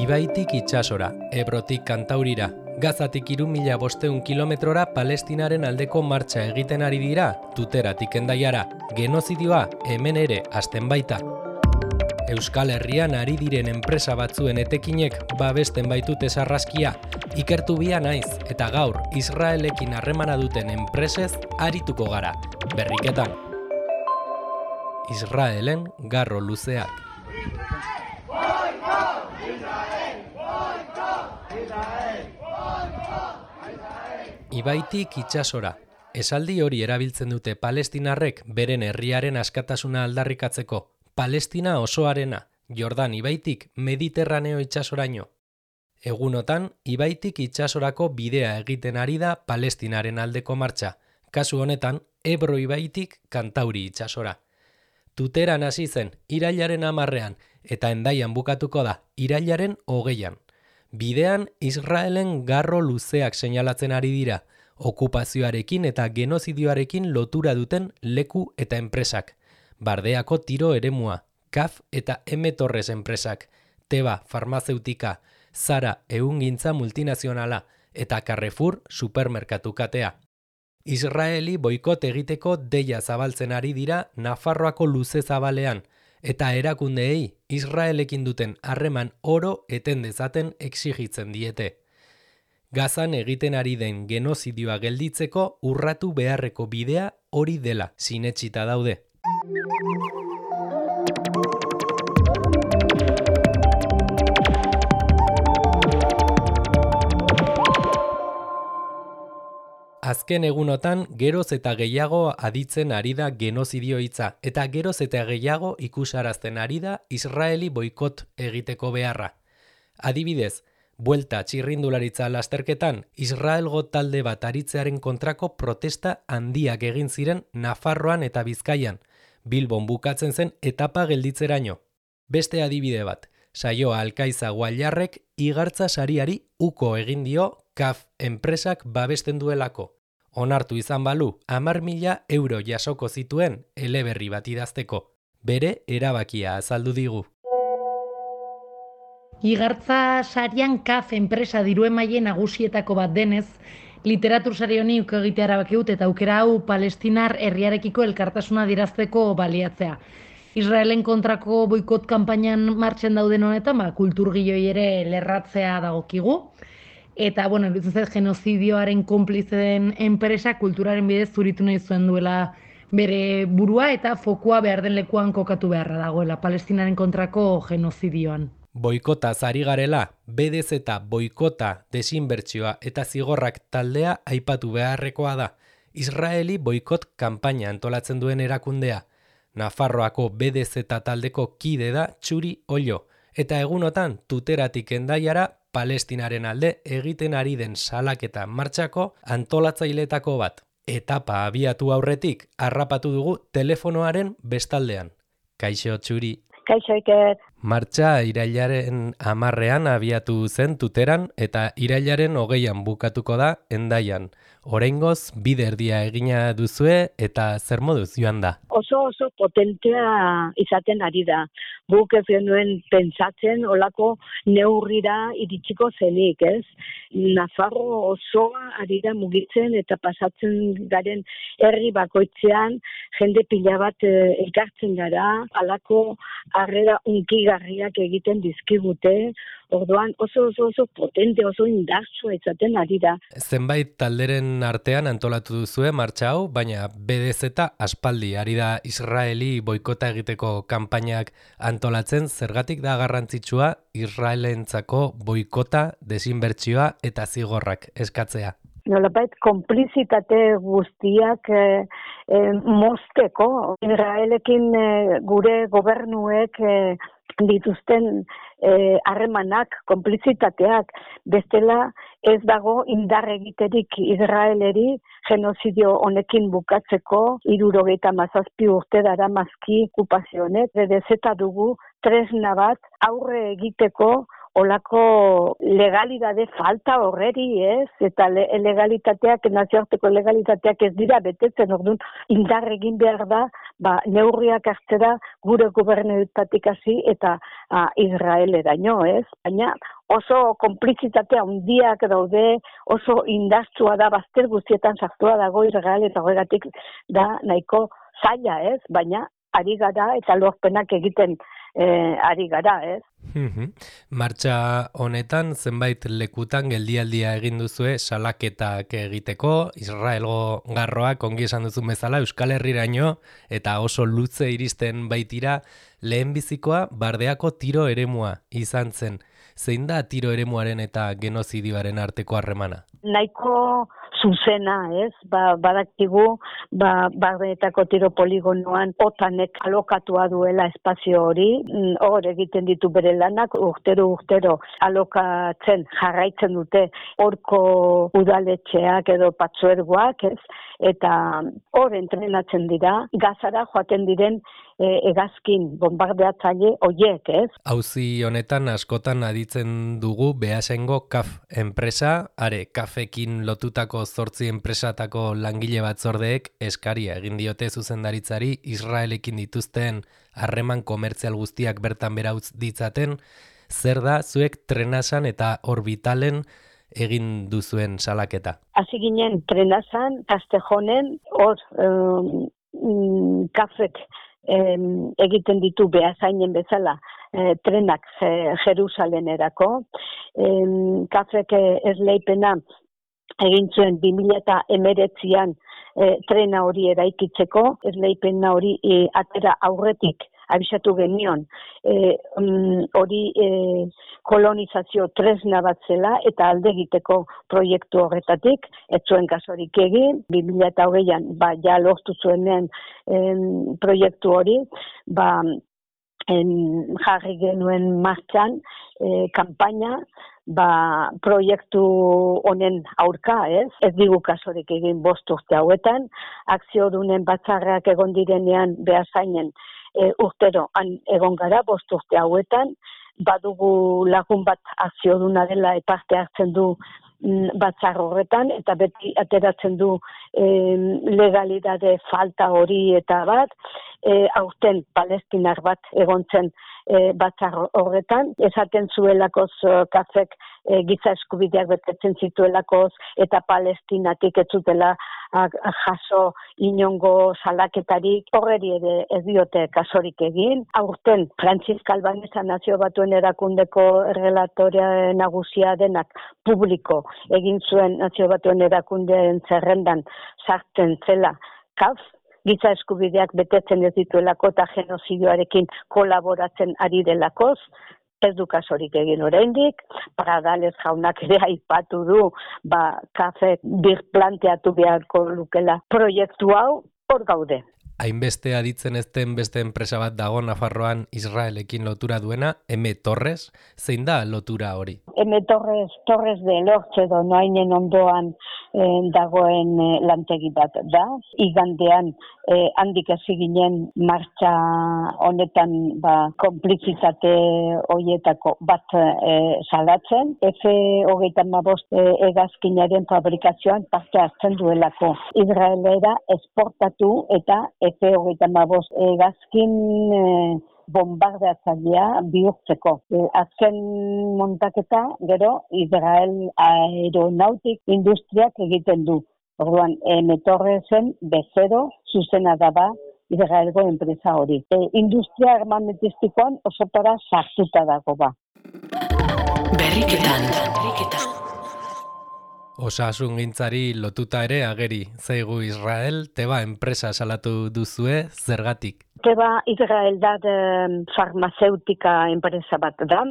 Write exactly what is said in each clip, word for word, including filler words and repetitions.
Ibaitik itsasora, Ebrotik Kantaurira, Gazatik hiru mila bostehun kilometrora Palestinaren aldeko martxa egiten ari dira, Tuteratik Hendaiara, genozidioa hemen ere hasten baita. Euskal Herrian ari diren enpresa batzuen etekinek babesten baitute sarraskia, ikertu bia naiz eta gaur Israelekin harremana duten enpresez arituko gara, berriketan. Israelen garro luzeak. Ibaitik itsasora. Esaldi hori erabiltzen dute palestinarrek beren herriaren askatasuna aldarrikatzeko. Palestina osoarena, Jordan ibaitik Mediterraneo itsasoraino. Egunotan, ibaitik itsasorako bidea egiten ari da Palestinaren aldeko martxa. Kasu honetan, Ebro ibaitik Kantauri itsasora. Tuteran hasi zen irailaren hamarrean eta Hendaian bukatuko da irailaren hogeian. Bidean Israelen garro luzeak seinalatzen ari dira, okupazioarekin eta genozidioarekin lotura duten leku eta enpresak. Bardeako tiro eremua, Kaf eta M Torres enpresak, Teba farmazeutika, Zara ehungintza multinazionala eta Carrefour supermerkatu katea. Israeli boikot egiteko deia zabaltzen ari dira Nafarroako luze zabalean, eta erakundeei Israelekin duten harreman oro eten dezaten exigitzen diete. Gazan egiten ari den genozidioa gelditzeko urratu beharreko bidea hori dela sinetsita daude. Azken egunotan geroz eta gehiago aditzen ari da genozidio hitza eta geroz eta gehiago ikusarazten ari da Israeli boikot egiteko beharra. Adibidez, buelta txirrindularitza lasterketan Israelgo talde bat aritzearen kontrako protesta handiak egin ziren Nafarroan eta Bizkaian, Bilbon bukatzen zen etapa gelditzeraino. Beste adibide bat, saioa Alkaiza Guallarrek igartza sariari uko egin dio Kaf enpresak babesten duelako. Onartu izan balu, hamar mila euro jasoko zituen eleberri bat idazteko. Bere erabakia azaldu digu. Igartza sarian Kaf enpresa diruemaile nagusietako bat denez, literatur sari honi uko egitea erabaki dut eta aukera hau Palestinar herriarekiko elkartasuna adierazteko baliatzea. Israelen kontrako boikot kanpainan martxan dauden honetan, ba, kulturgileei ere lerratzea dagokigu. Eta, bueno, iruditzen zait genozidioaren konplize den enpresa kulturaren bidez zuritu nahi zuen duela bere burua eta fokua behar den lekuan kokatu beharra dagoela, Palestinaren kontrako genozidioan. Boikotaz ari garela, B D Z boikota, desinbertsioa eta zigorrak taldea aipatu beharrekoa da. Israeli boikot kanpaina antolatzen duen erakundea. Nafarroako B D Z taldeko kide da Txuri Ollo, eta egunotan Tuteratik Hendaiara Palestinaren alde egiten ari den salaketa martxako antolatzailetako bat. Etapa abiatu aurretik harrapatu dugu telefonoaren bestaldean. Kaixo Txuri. Kaixo Iker. Martxa irailaren hamarrean abiatu zen Tuteran eta irailaren hogeian bukatuko da Hendaian. Oraingoz bide erdia egina duzue eta zer moduz joan da? Oso oso potentea izaten ari da. Guk ez genuen pentsatzen olako neurrira iritsiko zenik, ez? Nafarro osoa ari da mugitzen eta pasatzen garen herri bakoitzean jende pila bat eh, elkartzen gara, halako harrera unkigarriak egiten dizkigute. Orduan oso oso oso potente, oso indartsua izaten ari da. Zenbait talderen artean antolatu duzue martxa hau, baina B D Z aspaldi ari da Israeli boikota egiteko kanpainak antolatzen, zergatik da garrantzitsua Israelentzako boikota, desinbertsioa eta zigorrak eskatzea. Nolabait konplizitate guztiak eh, eh, mozteko, Israelekin eh, gure gobernuek eh, dituzten harremanak, eh, konplizitateak, bestela ez dago indar egiterik Israeleri genozidio honekin bukatzeko, hirurogeita hamazazpi urte daramazki okupazionek, B D Z dugu tresna bat aurre egiteko olako legalidade falta horreri, ez? Eta le, legalitateak, nazioarteko legalitateak ez dira betetzen, orduan indar egin behar da, ba, neurriak hartzera gure gobernetatik hasi eta a, Israeleraino, ez? Baina oso konplizitatea handiak daude, oso indartsua da, bazter guztietan sartua dago Israel eta horregatik da nahiko zaila, ez? Baina ari gara eta lorpenak egiten eh, ari gara, ez? Martxa honetan zenbait lekutan geldialdia egin duzue salaketak egiteko, Israelgo garroak ongi esan duzu bezala Euskal Herriraino eta oso luze iristen baitira, lehenbizikoa Bardeako tiro eremua izan zen. Zein da tiro eremuaren eta genozidioaren arteko harremana? Nahiko zuzena, ez? Ba, badakigu, ba, Bardeetako tiro poligonoan otanek alokatua duela espazio hori, hor egiten ditu bere lanak, urtero urtero alokatzen jarraitzen dute horko udaletxeak edo patzuergoak, ez? Eta hor entrenatzen dira, Gazara joaten diren e, egazkin bombardeatzaile hoiek, ez? Auzi honetan askotan aditzen dugu Beasaingo K A F enpresa, are K A Fekin lotutako zortzi enpresatako langile batzordeek eskaria egin diote zuzendaritzari Israelekin dituzten harreman komertzial guztiak bertan behera utz ditzaten. Zer da zuek Trenasan eta Orbitalen egin duzuen salaketa? Hasi ginen Trenasan, Castejonen, hor um, kafek um, egiten ditu Beasainen bezala eh, trenak eh, Jerusalenerako. Um, kafek esleipena egin zuen bi mila hemeretzian eh, trena hori eraikitzeko, esleipena hori eh, atera aurretik abisatu genion, hori e, e, kolonizazio tresna bat zela eta alde egiteko proiektu horretatik, ez zuen kasurik egin, bi mila hogeian, ba, ja lortu zuenean em, proiektu hori, ba, em, jarri genuen martxan, e, kanpaina, ba, proiektu honen aurka, ez? Ez digu kasurik egin bost urte hauetan, akziodunen batzarrak egon direnean Beasainen, E, urtero han egon gara, bost urte hauetan, badugu lagun bat akzioduna dela parte hartzen du mm, batzar horretan, eta beti ateratzen du e, legalidade falta hori eta bat, e, aurten palestinar bat egon zen e, batzar horretan, esaten zuelakoz kafek e, giza eskubideak betetzen zituelakoz, eta palestinatik ez zutela jaso inongo salaketarik, horreri ere ez diote kasorik egin. Aurten, Francisca Albanesa Nazio Batuen Erakundeko errelatorea nagusia denak publiko egin zuen Nazio Batuen Erakundeen zerrendan sartzen zela K A F, giza eskubideak betetzen ez dituelako eta genozidioarekin kolaboratzen ari delakoz, ez du kasorik egin oraindik, Pradales jaunak ere aipatu du, ba, kafek birplanteatu beharko lukela proiektu hau, hor gaude. Hainbeste aditzen ezten beste enpresa bat dago Nafarroan Israelekin lotura duena, M. Torres, zein da lotura hori? M. Torres, Torres de Lortxe edo noainen ondoan eh, dagoen eh, lantegi bat da. Igandean eh, handik hasi ginen martxa honetan ba, konplizitate horietako bat eh, salatzen. F hogeita hamabost eh, egazkinaren fabrikazioan parte hartzen duelako. Israelera esportatu eta F hogeita hamabost egazkin eh, bombardeatzailea bihurtzeko. E, azken montaketa, gero, Israel aeronautik industriak egiten du. Orduan, M. Torresen bezero zuzena daba Israelgo enpresa hori. E, industria armamentistikoan osotara sartuta dago ba. Berriketan. Berriketan. Osasungintzari lotuta ere ageri zaigu Israel, Teba enpresa salatu duzue, zergatik? Teba Israel da farmazeutika enpresa bat da,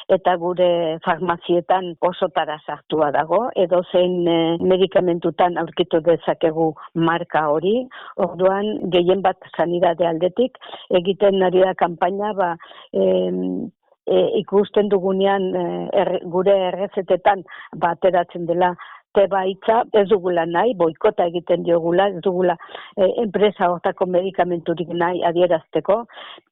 eta gure farmazietan osotara sartua dago, edo zein eh, medikamentutan aurkitu dezakegu marka hori, orduan gehien bat sanidade aldetik, egiten ari da kanpaina, ba, eh, E, ikusten dugunean e, er, gure errezetetan bateratzen dela tebaitza ez dugula nahi, boikota egiten diogula, ez dugula e, enpresa hortako medikamenturik nahi adierazteko.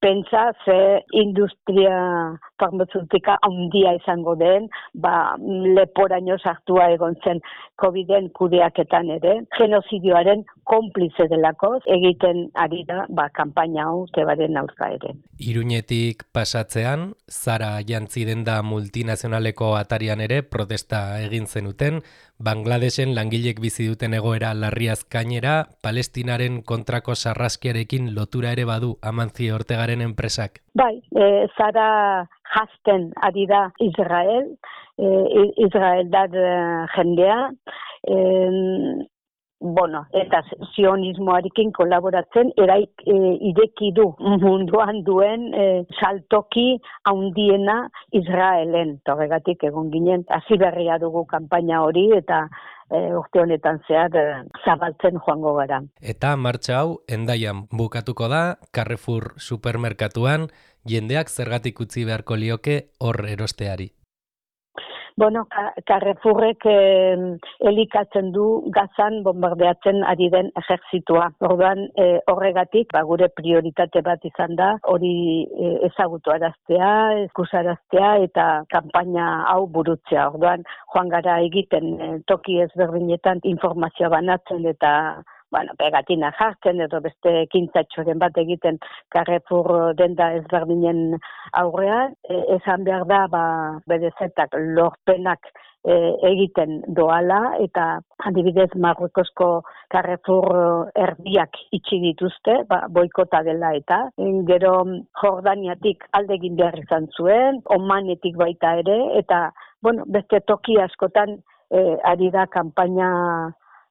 Pentsa ze industria farmazeutika handia izango den, ba, leporaino sartua egon zen Coviden kudeaketan ere, genozidioaren konplize delako egiten ari da ba, kanpaina hau tebaren aurka ere. Iruñetik pasatzean, Zara jantzi denda multinazionaleko atarian ere protesta egin zenuten, Bangladesen langilek bizi duten egoera larriaz gainera, Palestinaren kontrako sarraskiarekin lotura ere badu Amancio Ortegaren enpresak. Bai, e, Zara jazten ari da Israel, e, Israeldar jendea, e, bueno, eta sionismoarekin kolaboratzen eraik e, ireki du munduan duen e, saltoki handiena Israelen. Horregatik egon ginen, hasi berria dugu kanpaina hori eta e, urte honetan zehar e, zabaltzen joango gara. Eta martxa hau Hendaian bukatuko da, Carrefour supermerkatuan, jendeak zergatik utzi beharko lioke hor erosteari. Bueno, Carrefourrek eh, elikatzen du Gazan bombardeatzen ari den ejertzitua. Orduan eh, horregatik ba, gure prioritate bat izan da, hori eh, ezagutu araztea, eskusaraztea eta kanpaina hau burutzea. Orduan joan gara egiten eh, toki ezberdinetan informazioa banatzen eta bueno, pegatina jartzen edo beste ekintzatxoren bat egiten Carrefour denda ezberdinen aurrean, e, esan behar da ba, berezetak lorpenak e, egiten doala eta adibidez Marruekosko Carrefour erdiak itxi dituzte, ba, boikota dela eta gero Jordaniatik alde egin behar izan zuen, Omanetik baita ere eta bueno, beste toki askotan e, ari da kanpaina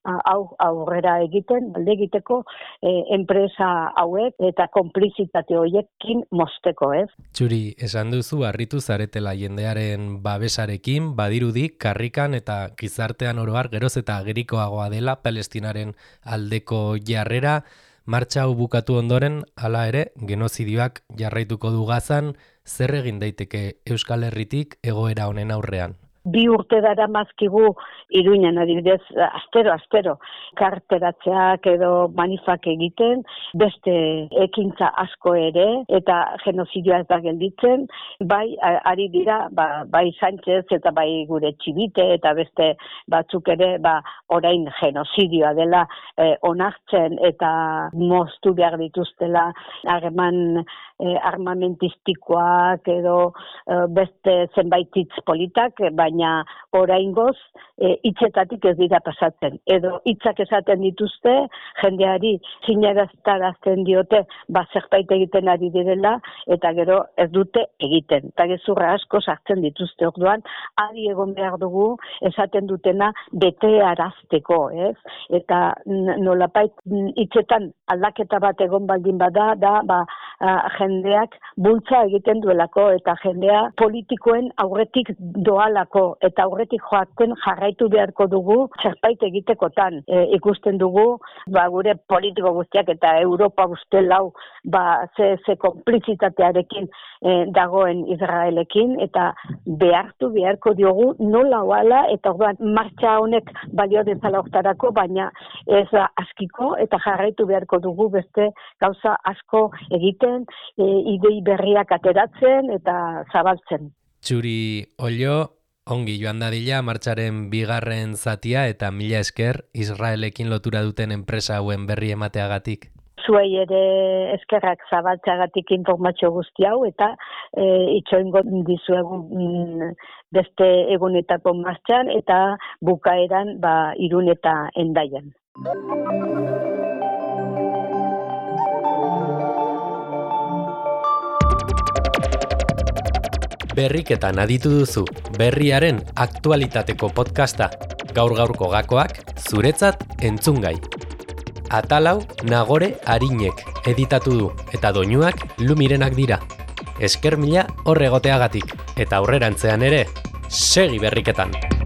hau aurrera egiten, alde egiteko eh, enpresa hauek eta konplizitate horiekin mosteko, ez? Txuri, esan duzu harritu zaretela jendearen babesarekin, badirudi karrikan eta gizartean oro har geroz eta agerikoagoa dela Palestinaren aldeko jarrera, martxa hau bukatu ondoren, hala ere, genozidioak jarraituko du Gazan, zer egin daiteke Euskal Herritik egoera honen aurrean? Bi urte dara mazkigu Iruñan, adibidez, astero, astero, karteratzeak edo manifak egiten, beste ekintza asko ere, eta genozidioa ez da gelditzen, bai, ari dira, ba, bai Sánchez eta bai gure Txibite eta beste batzuk ere, ba, orain genozidioa dela eh, onartzen eta moztu behar dituztela harreman eh, armamentistikoak edo eh, beste zenbait hitz politak, baina oraingoz e, hitzetatik ez dira pasatzen. Edo hitzak esaten dituzte, jendeari sinaraztarazten diote, ba zerbait egiten ari direla, eta gero ez dute egiten. Eta gezurra asko sartzen dituzte orduan, adi egon behar dugu esaten dutena bete arazteko, ez? Eta nolapait hitzetan aldaketa bat egon baldin bada, da, ba, a, jendeak bultza egiten duelako, eta jendea politikoen aurretik doalako, eta aurretik joaten jarraitu beharko dugu zerbait egitekotan. E, ikusten dugu, ba, gure politiko guztiak eta Europa guzti lau ba, ze, ze konplizitatearekin e, dagoen Israelekin, eta behartu beharko diogu nola oala, eta orduan martxa honek balio dezala hortarako, baina ez askiko, eta jarraitu beharko dugu beste gauza asko egiten, e, idei berriak ateratzen eta zabaltzen. Txuri Ollo, ongi joan dadila martxaren bigarren zatia eta mila esker Israelekin lotura duten enpresa hauen berri emateagatik. Zuei ere eskerrak zabaltzeagatik informazio guzti hau eta e, itxoingo dizuegu mm, beste egunetako martxan eta bukaeran ba, Irun eta Hendaian. Berriketan aditu duzu, berriaren aktualitateko podcasta, gaur-gaurko gakoak, zuretzat entzungai. Atalau Nagore Arinek editatu du, eta doinuak Lumirenak dira. Esker mila hor egoteagatik, eta aurrerantzean ere, segi berriketan!